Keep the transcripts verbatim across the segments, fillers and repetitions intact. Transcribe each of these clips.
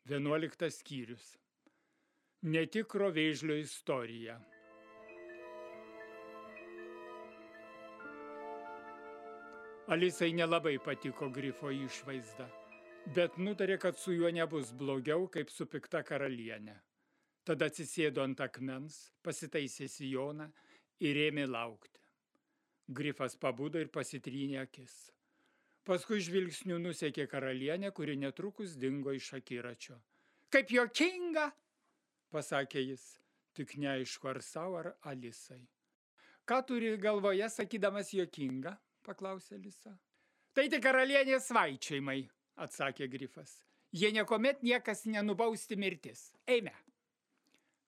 Vienuoliktas skyrius. Netikro vėžlio istorija. Alisai nelabai patiko Grifo išvaizda, bet nutarė, kad su juo nebus blogiau, kaip su pikta karalienė. Tada atsisėdo ant akmens, pasitaisė sijoną ir ėmė laukti. Grifas pabudo ir pasitrynė akis. Paskui žvilgsniu nusekė karalienė, kuri netrukus dingo iš akiračio. Kaip juokinga, pasakė jis, tik neaišku ar savo ar Alisai. Ką turi galvoje, sakydamas juokinga, paklausė Alisa. Tai tik karalienės svaičiojimai, atsakė Grifas. Jie niekuomet niekas nenubausti mirtis. Eime.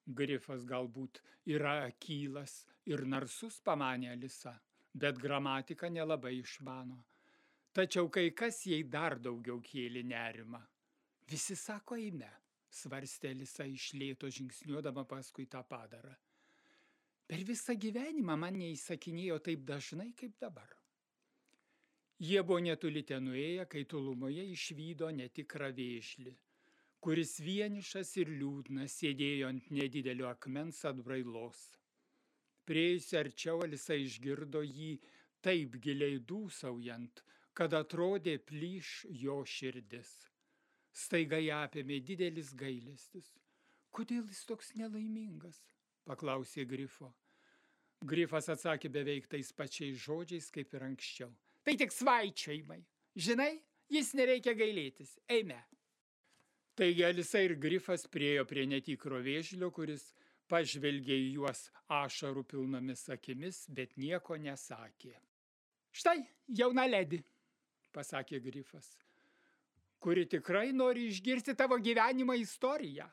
Grifas galbūt yra akylas ir narsus, pamanė Alisa, bet gramatiką nelabai išmano. Tačiau kai kas jai dar daugiau kėlė nerimą. Visi sako eime, svarstė Alisa iš lėto žingsniuodama paskui tą padarą. Per visą gyvenimą man neįsakinėjo taip dažnai kaip dabar. Jie buvo netoli ten nuėję, kai tolumoje išvydo netikrą vėžlį, kuris vienišas ir liūdnas sėdėjo ant nedidelio akmens atbrailos. Priėjusi arčiau, Alisa išgirdo jį taip giliai dūsaujant, kad atrodė plyš jo širdis. Staiga ją apėmė didelis gailestis. Kodėl jis toks nelaimingas? Paklausė Grifo. Grifas atsakė beveik tais pačiais žodžiais, kaip ir anksčiau. Tai tik svaičiojimai. Žinai, jis nereikia gailėtis. Eime. Taigi Alisa ir Grifas priėjo prie netikro vėžlio, kuris pažvelgė į juos ašarų pilnomis akimis, bet nieko nesakė. Štai, jauna ledi, pasakė Grifas, kuri tikrai nori išgirsti tavo gyvenimo istoriją.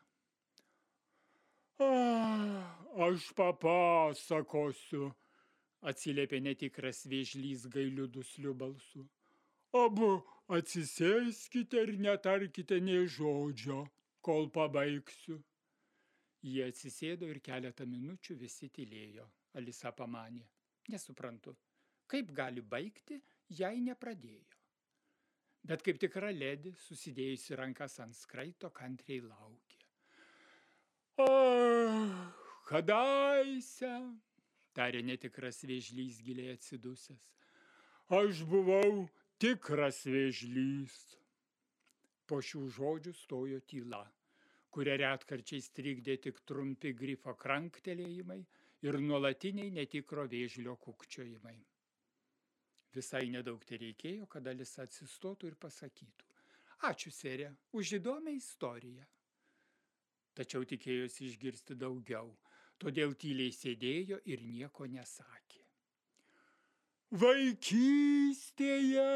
Ah, aš papasakosiu, atsiliepė netikras vėžlys gailiu dusliu balsu. Abu atsisėskite ir netarkite nė žodžio, kol pabaigsiu. Jie atsisėdo ir keletą minučių visi tylėjo. Alisa pamanė. Nesuprantu, kaip gali baigti, jei nepradėjo. Bet kaip tikra ledi, susidėjusi rankas ant skraito, kantriai laukė. Ah, kadaise, tarė netikras vėžlys giliai atsidusęs. Aš buvau tikras vėžlys. Po šių žodžių stojo tyla, kurią retkarčiais trikdė tik trumpi Grifo kranktelėjimai ir nuolatiniai netikro vėžlio kukčiojimai. Visai nedaug tereikėjo, kad Alisa atsistotų ir pasakytų. Ačiū, serė, už įdomią istoriją. Tačiau tikėjosi išgirsti daugiau, todėl tyliai sėdėjo ir nieko nesakė. Vaikystėje,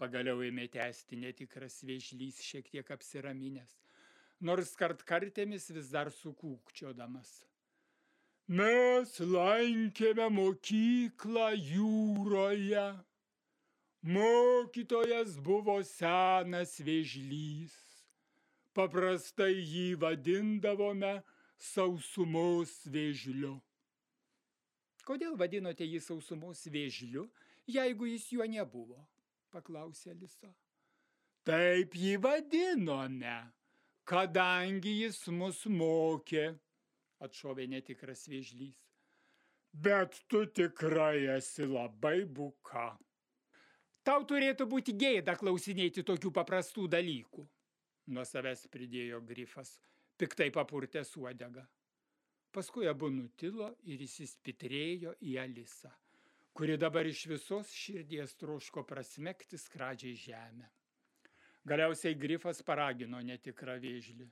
pagaliau ėmė tęsti netikras vėžlys šiek tiek apsiraminęs, nors kartkartėmis vis dar sukūkčiodamas. Mes lankėme mokyklą jūroje. Mokytojas buvo senas vėžlys. Paprastai jį vadindavome sausumos vėžliu. Kodėl vadinote jį sausumos vėžliu, jeigu jis juo nebuvo? Paklausė Alisa. Taip jį vadinome, kadangi jis mus mokė, atšovė netikras vėžlys. Bet tu tikrai esi labai buka. Tau turėtų būti gėda klausinėti tokių paprastų dalykų, nuo savęs pridėjo Grifas, piktai papurtęs uodegą. Paskui abu nutilo ir įsispitrėjo į Alisą, kuri dabar iš visos širdies troško prasmegti skradžiai žemę. Galiausiai Grifas paragino netikrą vėžlį.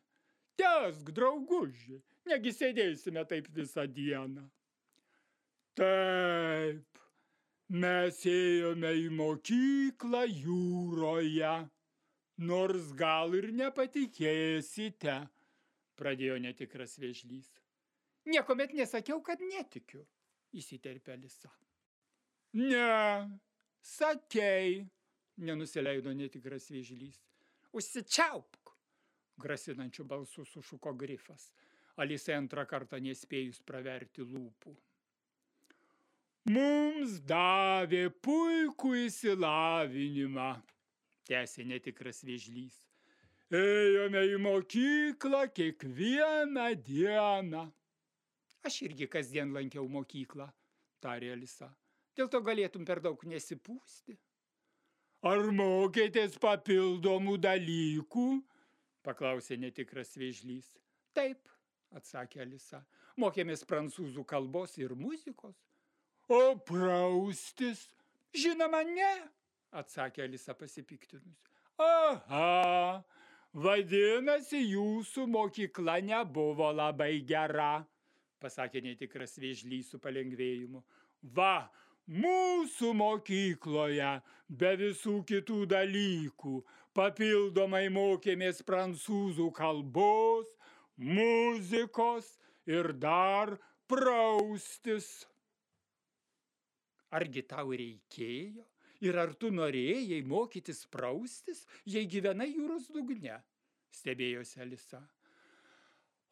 Tęsk, drauguži, negi sėdėsime taip visą dieną. Taip, mes ėjome į mokyklą jūroje, nors gal ir nepatikėsite, pradėjo netikras vėžlys. Niekuomet nesakiau, kad netikiu, įsiterpė Alisa. Ne, sakei, nenusileido netikras vėžlys. Užsičiaupk, grasinančių balsų sušuko Grifas, Alisai antrą kartą nespėjus praverti lūpų. Mums davė puikų išsilavinimą, tęsė netikras vėžlys. Ėjome į mokyklą kiekvieną dieną. Aš irgi kasdien lankiau mokyklą, tarė Alisa. Dėl to galėtum per daug nesipūsti. Ar mokėtės papildomų dalykų? Paklausė netikras vėžlys. Taip, atsakė Alisa. Mokėmės prancūzų kalbos ir muzikos. O praustis? Žinoma, ne, atsakė Alisa pasipiktinus. Aha, vadinasi, jūsų mokykla nebuvo labai gera, pasakė netikras vėžlys su palengvėjimu. Va, mūsų mokykloje be visų kitų dalykų papildomai mokėmės prancūzų kalbos, muzikos ir dar praustis. Argi tau reikėjo ir ar tu norėjai mokytis praustis, jei gyvenai jūros dugne? Stebėjosi Alisa.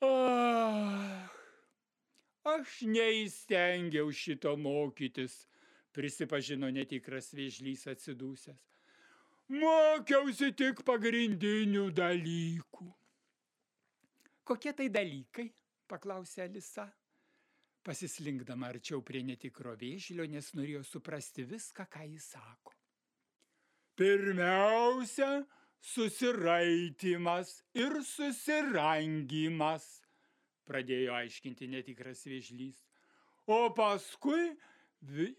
Ah, aš neįstengiau šito mokytis, prisipažino netikras vėžlys atsidūsęs. Mokiausi tik pagrindinių dalykų. Kokie tai dalykai? Paklausė Alisa, pasislinkdama arčiau prie netikro vėžlio, nes norėjo suprasti viską, ką jis sako. Pirmiausia, susiraitimas ir susirangimas, pradėjo aiškinti netikras vėžlys. O paskui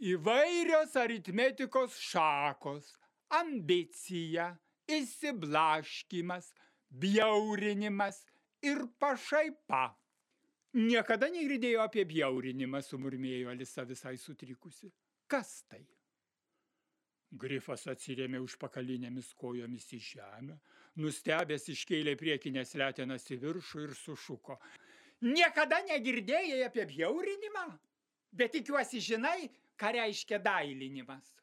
įvairios aritmetikos šakos, ambicija, išsiblaškymas, bjaurinimas ir pašaipa. Niekada negirdėjo apie bjaurinimą, sumurmėjo Alisa visai sutrikusi. Kas tai? Grifas atsirėmė užpakalinėmis kojomis į žemę, nustebęs iškėlė priekinės letenas į viršų ir sušuko. Niekada negirdėjai apie bjaurinimą? Bet tikiuosi žinai, ką reiškia dailinimas.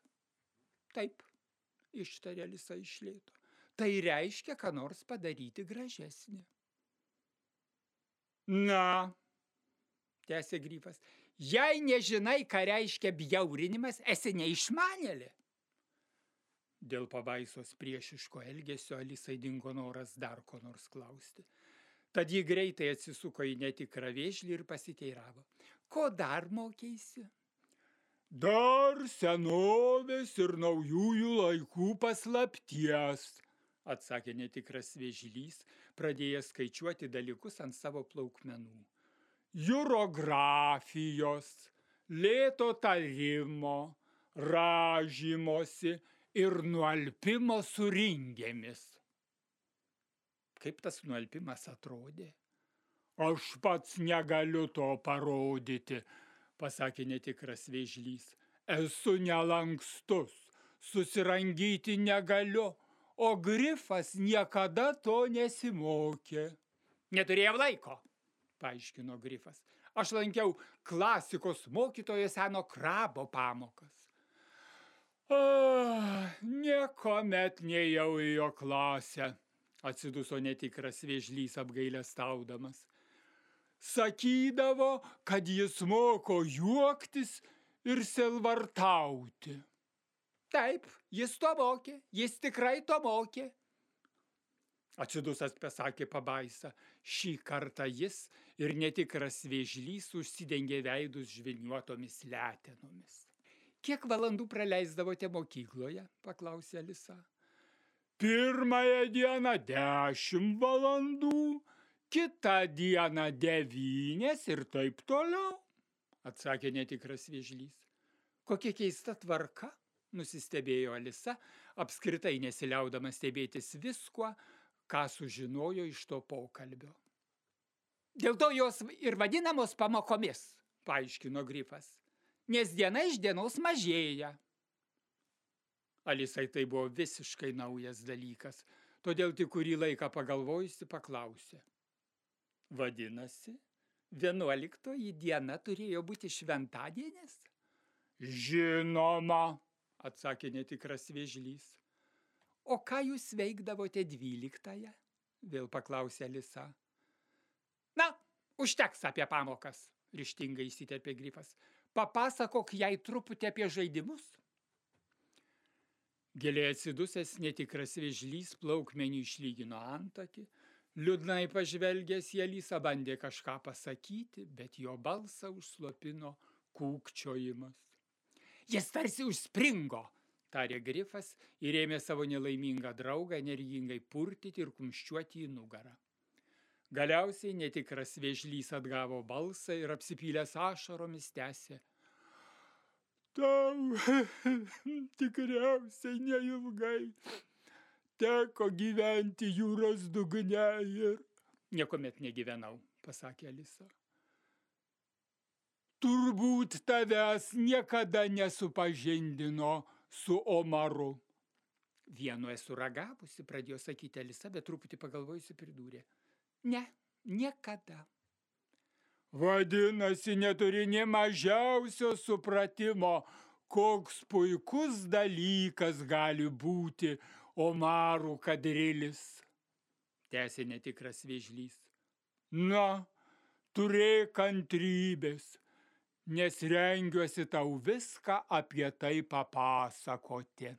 Taip, ištarė Alisa iš lėto. Tai reiškia, ką nors padaryti gražesnį. Na, tęsė Grifas, jei nežinai, ką reiškia bjaurinimas, esi neišmanėlė. Dėl pabaisos priešiško elgesio Alisai dingo noras dar ko nors klausti. Tad ji greitai atsisuko į netikrą vėžlį ir pasiteiravo. Ko dar mokeisi? Dar senovės ir naujųjų laikų paslapties, atsakė netikras vėžlys, pradėjęs skaičiuoti dalykus ant savo plaukmenų. Jurografijos, lėto tarimo, rąžymosi ir nualpimo su ringėmis. Kaip tas nualpimas atrodė? Aš pats negaliu to parodyti, pasakė netikras vėžlys. Esu nelankstus, susirangyti negaliu. O Grifas niekada to nesimokė. Neturėjau laiko, paaiškino Grifas. Aš lankiau klasikos mokytojo seno krabo pamokas. Ah, niekuomet nejau į jo klasę, atsiduso netikras vėžlys apgailestaudamas. Sakydavo, kad jis moko juoktis ir selvartauti. Taip, jis to mokė, jis tikrai to mokė. Atsidusas pasakė pabaisa. Šį kartą jis ir netikras vėžlys užsidengė veidus žvilniuotomis letenomis. Kiek valandų praleisdavote mokykloje? Paklausė Alisa. Pirmąją dieną dešimt valandų, kitą dieną devynias ir taip toliau, atsakė netikras vėžlys. Kokia keista tvarka? Nusistebėjo Alisa, apskritai nesiliaudama stebėtis viskuo, ką sužinojo iš to pokalbio. Dėl to jos ir vadinamos pamokomis, paaiškino Grifas, nes diena iš dienos mažėja. Alisai tai buvo visiškai naujas dalykas, todėl tik kurį laiką pagalvojusi paklausė. Vadinasi, vienuoliktoji diena turėjo būti šventadienis? Žinoma, atsakė netikras vėžlys. O ką jūs veikdavote dvyliktąją? Vėl paklausė Alisa. Na, užteks apie pamokas, ryžtingai įsiterpė Grifas. Papasakok jai truputį apie žaidimus. Giliai atsidusęs netikras vėžlys plaukmenį išlygino antakį, liūdnai pažvelgęs į Alisą bandė kažką pasakyti, bet jo balsą užslopino kūkčiojimas. Jis tarsi užspringo, tarė Grifas ir ėmė savo nelaimingą draugą energingai purtyti ir kumščiuoti į nugarą. Galiausiai netikras vėžlys atgavo balsą ir apsipylęs ašaromis tęsė. Tau tikriausiai neilgai teko gyventi jūros dugne ir... Niekuomet negyvenau, pasakė Alisa. Turbūt tavęs niekada nesupažindino su Omaru. Vienu esu ragavusi, pradėjo sakyti Alisa, bet truputį pagalvojusi pridūrė. Ne, niekada. Vadinasi, neturi nė mažiausio supratimo, koks puikus dalykas gali būti Omarų kadrilis, tęsė netikras vėžlys. Na, turėk kantrybės, nes rengiuosi tau viską apie tai papasakoti.